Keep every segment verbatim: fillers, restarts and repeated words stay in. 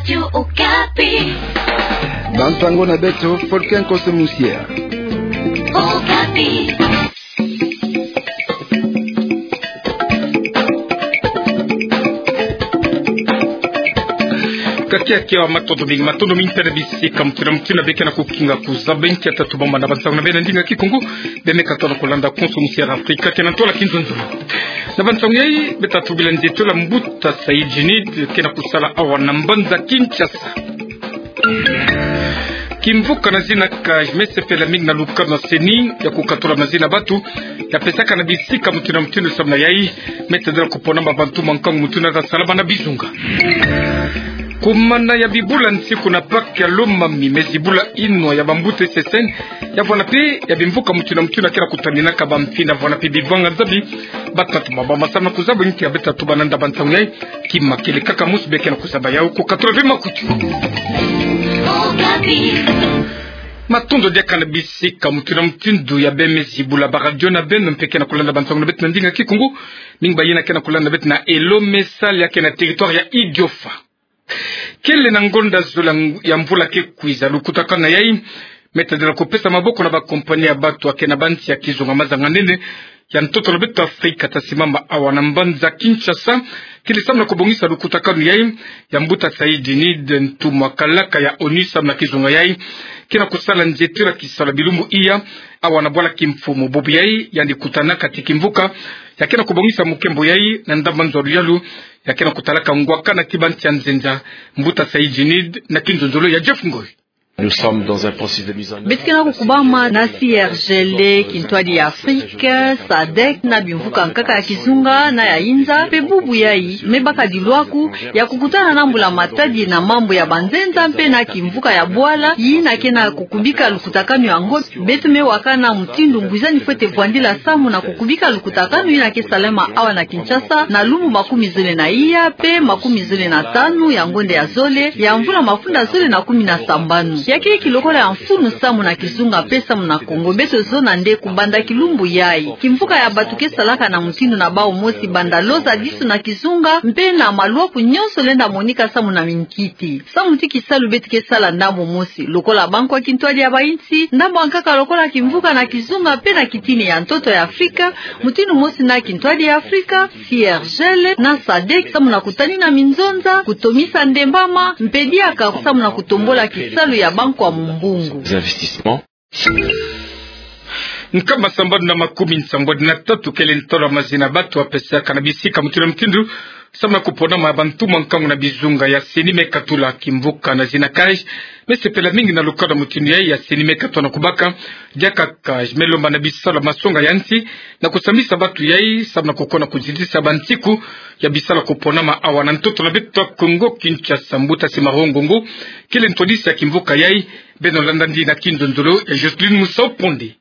Radio Okapi. Bansango na beto, Fulcan Koso Musier. Okapi. Kakia kia, matondo mingi, matondo mingi mpe na bisika mutinu na mutinu beke na kukinga kuzaba nkia tatu bamba na bansango na beno na ndinga Kikongo, beno me katuka na kulanda Koso Musier Afrika, kena ntwala kinzonzolo. Na bansango yai, beta tubila nzito la mbuta Saïd Djinid, kena kusala awa na mbanza Kinshasa. Kimvuka na zina CAGE me sepela mingi na lukanu na CENI ya kukatula mazina ya batu ya pesaka na bisika mutinu na mutinu samu na yai me tadila kupona ma bantu mankangu mutinu na sala bana bizunga. Kumana ya bibula nsiku na Pâques ya Lomami me zibula inwa ya bambuta S S N ya vwanda mpe ya bimvuka mutinu na mutinu kena kutaninaka bamfina vwanda mpe bivanga nzabi. Batatu bamba samu na kuzaba nkia beta tubana na bansango yai. Kima kele kaka mosi beke na kuzaba yau, kukatula ve makutu. Matondo diaka na bisika mutinu na mutinu ya beno me zibula ba radio na beno mpe kena kulanda bansango na beto na ndinga Kikongo. Mingi ba yina kena kulanda beto na Elo Mesal ya kena territoire ya Idiofa. Kele na ngonda zole ya mvula ke kwiza, lukutakanu na yai me tadila kupesa maboko na bakompani ya batu ya kena bansi ya kizunga mazanga nene ya ntoto na beto Afrika ta simama awa na mbanza Kinshasa. Kele samu na kubongisa lukutakanu yai ya mbuta Saïd Djinid, ntumwa kalaka ya ONU samu na kizunga yai, kena kusala nzito la kisalu ya bilumbu iya awa na bwala kimfumu. Bubu yai yandi kutanaka ti kimvuka ya kena kubongisa mukembo yai na ndambu nzolo yalu ya kena kutalaka ngwakana ti bansi ya nzenza. Mbuta Saïd Djinid na kinzonzolo ya Jeff Ngoy. Nous sommes dans un processus de mise en œuvre. Beto kena kukubama na C R G L, kintwadi ya Afrika, SADC, na bimvuka nkaka ya kizunga na ya inza, mpe bubu yai me baka dilwaku ya kukutana na Mbula Matadi na mambu ya banzenza mpe na kimvuka ya bwala yina kena kukubika lukutakanu yango. Beto me wakana mutindu ngwizani fwete vwandila samu na kukubika lukutakanu yina ke salama awa na Kinshasa na lumbu makumi zole na iya mpe makumi zole na tanu ya ngonda ya zole ya mvula mafunda zole na kumi na sambanu. Ya kele kilokola ya mfunu samu na kizunga mpe samu na Kongo. Beto zona nde kubanda kilumbu yai kimvuka ya batu ke salaka na mutindu na bau mosi banda loza disu na kizunga mpe na malwaku nyonso lenda monika samu na minkiti. Samu ti kisalu beto ke sala ndambu mosi lokola Banki ya Kintwadi ya Bayinsi, ndambu ya nkaka lokola kimvuka na kizunga mpe na kitini ya ntoto ya Afrika, mutindu mosi na kintwadi ya Afrika, C R G L na SADC, samu na kutanina minzonza, kutomisa ndembama, mpe diaka samu na kutombola kisalu ya banki ya mumbungu. Nkama sambanu na makumi sambanu na tatu kele ntolo ya mazina ya batu ya pesaka na bisika mutindu na mutindu samu na kupona ma bantu mankangu na bizunga ya CENI me katula. Kimvuka na zina CAGE me sepela mingi na lukanu ya mutindu yai ya CENI me katula na kubaka. Diaka CAGE me lomba na bisalu ya masonga ya nsi na kusambisa batu yai samu na kukona kuzitisa bansiku ya bisalu ya kupona ma awa na ntoto na beto Kongo Kinshasa. Mbuta Simaro Ngongo kele ntwadisi ya kimvuka yai. Beno landa ndi na kinzonzolo ya Jocelyne Musau Ponde.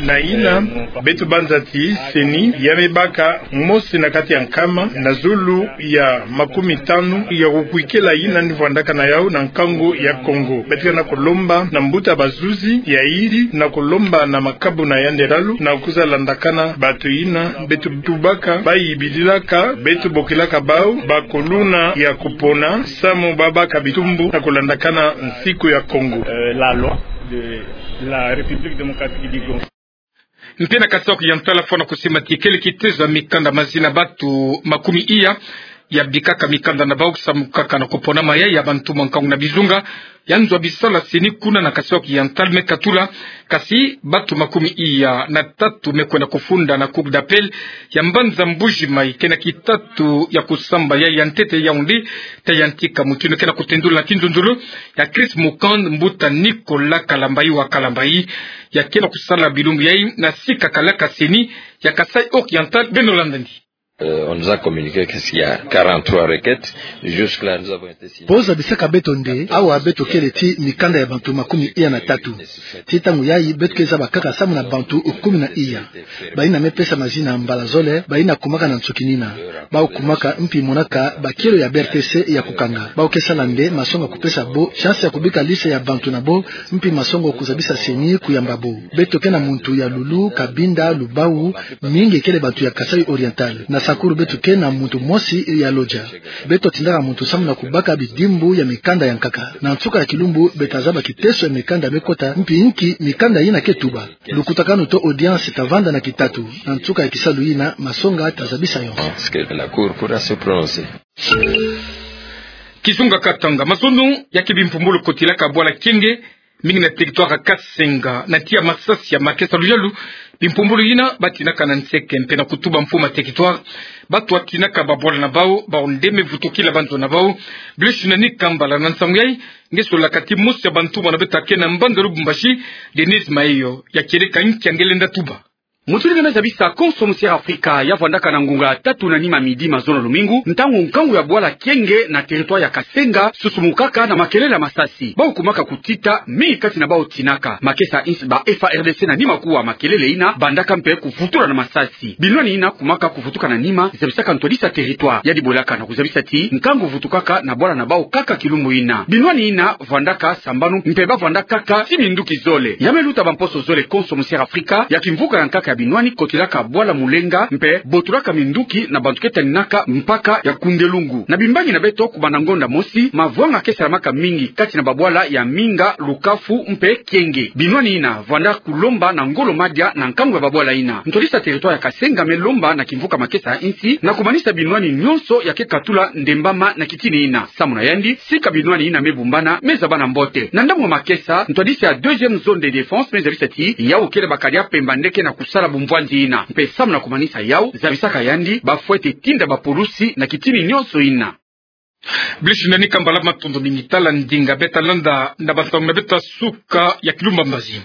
Na yina, beto banza ti CENI ya me baka mosi na kati ya nkama na zulu ya makumi tanu ya kukwikila yina ni vwandaka na yau na nkangu ya Kongo. Beto kena kulomba na mbuta bazuzi ya yiri na kulomba na makabu na yandi lalu na kwiza landakana batu yina beto tubaka, bayibililaka, beto bokilaka bau bakuluna ya kupona samu babaka bitumbu na kulandakana nsiku ya Kongo. Euh, la loi de la République démocratique du Congo. Mpe na Kasaï Oriental, fwana kusimba ti kele kitezo ya mikanda, mazina ya batu makumi iya ya bikaka mikanda na bau samu kaka na kupona ma yai ya bantu mankangu na bizunga ya nzo ya bisalu ya CENI kuna na Kasaï Oriental me katula. Kasi batu makumi iya na tatu me kwenda kufunda na Cour d'appel ya mbanza Mbuji-Mayi, kena kitatu ya kusamba yai ya ntete ya Yaoundé ta yantika. Mutindu kena kutendula na kinzonzolo ya Chris Mukand, mbuta Nicolas Kalambayi wa Kalambayi ya kena kusala bilumbu yai na sika kalaka CENI ya Kasaï Oriental. Beno landa ndi. Euh, on nous a communiqué qu'il y a quarante-trois requêtes. Jusque-là, nous avons été signés. Bo zabisaka beto nde awa beto kele ti mikanda ya bantu makumi iya na tatu. Ti ntangu yai beto ke zaba kaka samu na bantu kumi na iya. Bayina me pesa mazina mbala zole, bayina kumaka na nsukinina. Bau kumaka mpi monaka bakielo ya B R T C ya kukanga. Bau ke sala nde masonga kupesa bo chance ya kubika liste ya bantu na bo, mpi masonga kuzabisa CENI kuyamba bo. Beto kena muntu ya Loulou, Cabinda, Loubao, mingi kele bantu ya Kasaï Oriental. Na Akulu beto ke na muntu mosi ya loja. Beto tindaka muntu samu na kubaka bidimbu ya mikanda ya nkaka. Na nsuka ya kilumbu, beto zaba kiteso ya mikanda me kota, mpi nki mikanda yina ke tuba. Lukutakanu to audience ta vanda na kitatu. Na nsuka ya kisalu yina, masonga ta zabisa yo. Parce que la Cour pourra se prononcer. Kizunga Katanga, mazono ya kibimpumbulu kotilaka bwala Kienge, mingi na territoire ya Kasenga, na tiya masasi ya makesa luyalu, bimpumbulu yina ba tinaka na nseke mpe na kutuba mfumu ya territoire, bato ba tinaka babwala na bau, bau nde me vutukila banzo na bau. Blaise Nani Kambala na nsangu yayi, nge solaka ti mosi ya bantumwa na beto ke na mbanza Lubumbashi, Denise Mayo, ya kieleka nki ya nge lenda tuba. Mutu ni me zabisa Konso Musiere Afrika ya vwandaka na ngunga tatu na nima midi mazono lumingu, ntangu nkangu ya bwala Kienge na territoire ya Kasenga susumukaka na makelele ya masasi. Bau kumaka kutita, mingi kati na bau tinaka. Makesa insi ba F A R D C na nima kuwa makelele yina, bandaka mpe kuvutula na masasi. Binwani yina kumaka kuvutuka na nima, zabisaka ntwadisi ya territoire. Yandi bolaka na kuzabisa ti, nkangu vutukaka na bwala na bau kaka kilumbu yina. Binwani yina vwandaka sambanu mpe ba vwandaka kaka ti minduki zole. Ya me luta bamposo zole Konso Musiere Afrika ya kimvuka ya nkaka ya binwani kotilaka bwala Mulenga mpe botulaka minduki na bantu ke taninaka mpaka ya Kundelungu. Na bimbangi na beto, kubanda ngonda mosi, mavwanga ke salamaka mingi kati na babwala ya Minga, Lukafu mpe Kienge. Binwani yina vwanda kulomba na ngolo madia na nkangu ya babwala yina. Ntwadisi ya territoire ya Kasenga me lomba na kimvuka makesa ya insi na kumanisa binwani nyonso ya ke katula ndembama na kitini yina. Samu na yandi, sika binwani yina me bumbana, me zaba na mbote. Na ndambu ya makesa, ntwadisi ya deuxième zone de défense me zabisa ti, yau kele bakadi ya pemba nde ke na kusala bumvwanzi yina. Mpe samu na kumanisa yau, zabisaka yandi, ba fwete tinda bapulusi na kitini nyonso yina. Blaise Nani Kambala, matondo mingi. Tala ndinga beto landa na bantangu na beto suka ya kilumbu mbazi.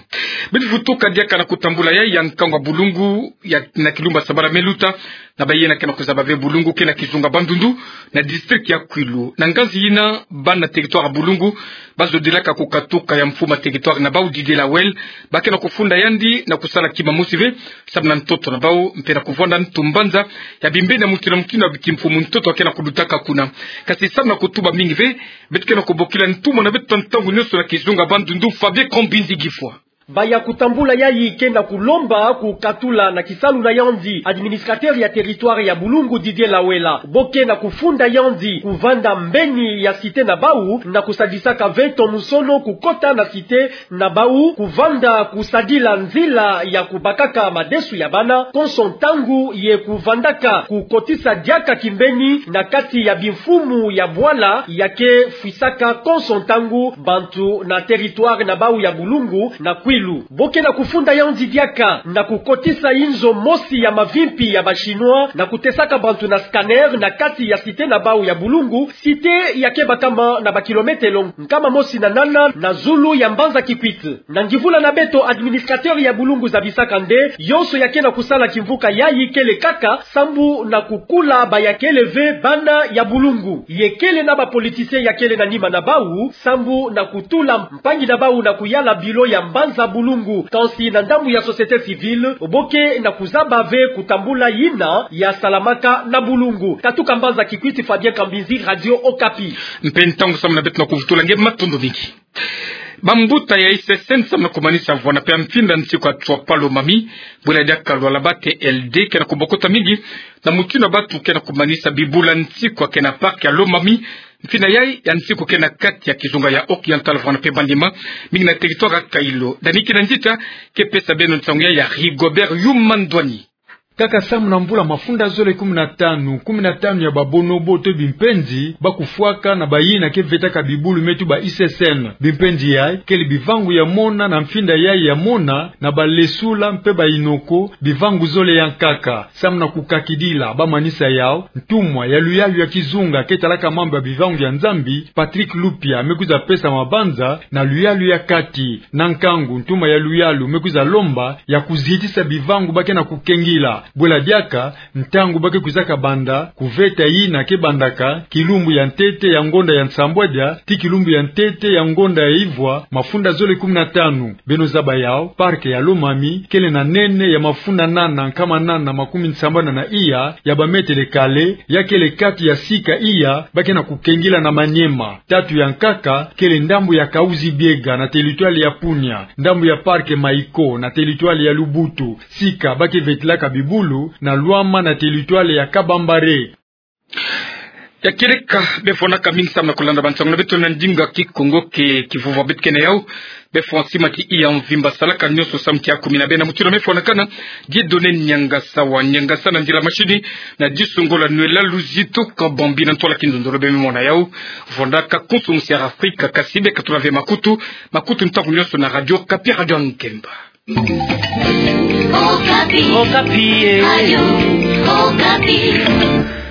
Beto vutuka diaka na kutambula yayi ya nkangu ya bulungu ya na kilumbu sambana me luta, na bayina ke na kuzaba ve bulungu ke na kizunga Bandundu, na district ya Kwilu. Na nganzi yina, bana territoire ya bulungu ba zodilaka kukatuka ya mfumu ya territoire na bau Didier Lawel, ba ke na kufunda yandi na kusala kima mosi ve, samu na ntoto na bau, mpe na kuvwanda ntu mbanza ya bimbeni ya mukina mukina ya kimfumu ntoto ke na kulutaka kuna. Kasi samu na kutuba mingi ve, beto ke na kubokila ntumwa na beto ntangu nyonso na kizunga Bandundu, Fabien Kambinzi Gifwa. Baya kutambula yayi ke na kulomba kukatula na kisalu na yandi administrateur ya territoire ya bulungu Didier Lawela. Bo ke na kufunda yandi kuvanda mbeni ya cité na bau na kusadisaka ve tomusono kukota na cité na bau kuvanda kusadila nzila ya kubakaka madesu ya bana konso ntangu ye kuvandaka kukotisa diaka kimbeni na kati ya bimfumu ya bwala ya ke fwisaka konso ntangu bantu na territoire na bau ya bulungu na Kwilu. Bo ke na kufunda yandi diaka na kukotisa inzo mosi ya mavimpi ya ba Chinois na kutesaka bantu na scanner na kati ya cité na bau ya bulungu, cité ya ke bakama na ba kilometelo nkama mosi na nana na zulu ya mbanza Kikwit. Na ngivula na beto, administrateur ya bulungu zabisaka nde yonso ya ke na kusala kimvuka yayi kele kaka sambu na kukula baya kele ve bana ya bulungu. Ye kele na ba politicien ya kele na nima na bau sambu na kutula mpangi na bau na kuyala bilo ya mbanza bulungu. Kansi na ndambu ya société civile, bo ke na kuzaba ve kutambula yina ya salamaka na bulungu. Katuka mbanza Kikwit, Fabien Kambinzi, Radio Okapi. Mpe ntangu samu na beto na kuvutula nge, matondo mingi. Bambuta ya I C C N samu na kumanisa vwanda mpe ya mfinda nsiku ya Tswapa Lomami, bwela diaka lwala ba T L D ke na kubokota mingi, na mutindu ya bantu ke na kumanisa bibula nsiku ya ke na parc ya Lomami, mfinda yayi ya nsiku ke na kati ya kizunga ya Oriental, vwanda mpe Bandima, mingi na territoire ya Kailo. Dani Kinanzita ke pesa beno nsangu yayi ya Rigobert Yuma Ndwani. Kaka samu na mvula mafunda zole kumi na tanu, kumi na tanu ya ba bonobo to bimpenzi ba kufwaka na bayina ke vetaka bibulu me tuba I C C N. Bimpenzi yayi kele bivangu ya mona na mfinda yayi ya mona na ba lesula mpe ba inoko, bivangu zole ya nkaka. Samu na kukakidila ba manisa yau, ntumwa ya luyalu ya kizunga ke talaka mambu ya bivangu ya Nzambi, Patrick Lupia, me kwiza pesa mabanza na luyalu ya kati. Na nkangu, ntumwa ya luyalu me kwiza lomba ya kuzitisa bivangu ba ke na kukengila. Bwela diaka, ntangu ba ke kwizaka banda kuveta yina ke bandaka kilumbu ya ntete ya ngonda ya nsambwadia tii kilumbu ya ntete ya ngonda ya ivwa, mafunda zole kumi na tanu. Beno zaba yau, parc ya Lomami kele na nene ya mafunda nana nkama nana makumi nsambana na iya ya ba mètres carrés, ya kele kati ya sika iya ba ke na kukengila na Maniema. Tatu ya nkaka kele ndambu ya Kahuzi-Biega na territoire ya Punia, ndambu ya parc Maiko na territoire ya Lubutu, sika ba ke vetilaka bibu Kulu na Luama na territoire ya Kabambare. Ya kieleka, befo na kamingi sam na kolanda bansango na beto na ndinga Kikongo ke kivova beto kena yau. Befo nsima ti iya mvimba salaka nionso sam tia kumi na bena mutu na mefo na kana. Dieudonné Niangasa wa Niangasa na nzila mashini, na diso ngolo Noël Luzito Kabambi na ntwala kinzonzolo be mimona yau. Vonda ka konso musi ya Afrika, kasi be ka tula ve makutu, makutu ntangu nionso na Radio Okapi, Radio Nkemba. Okapi. Okapi, eh. Radio Okapi.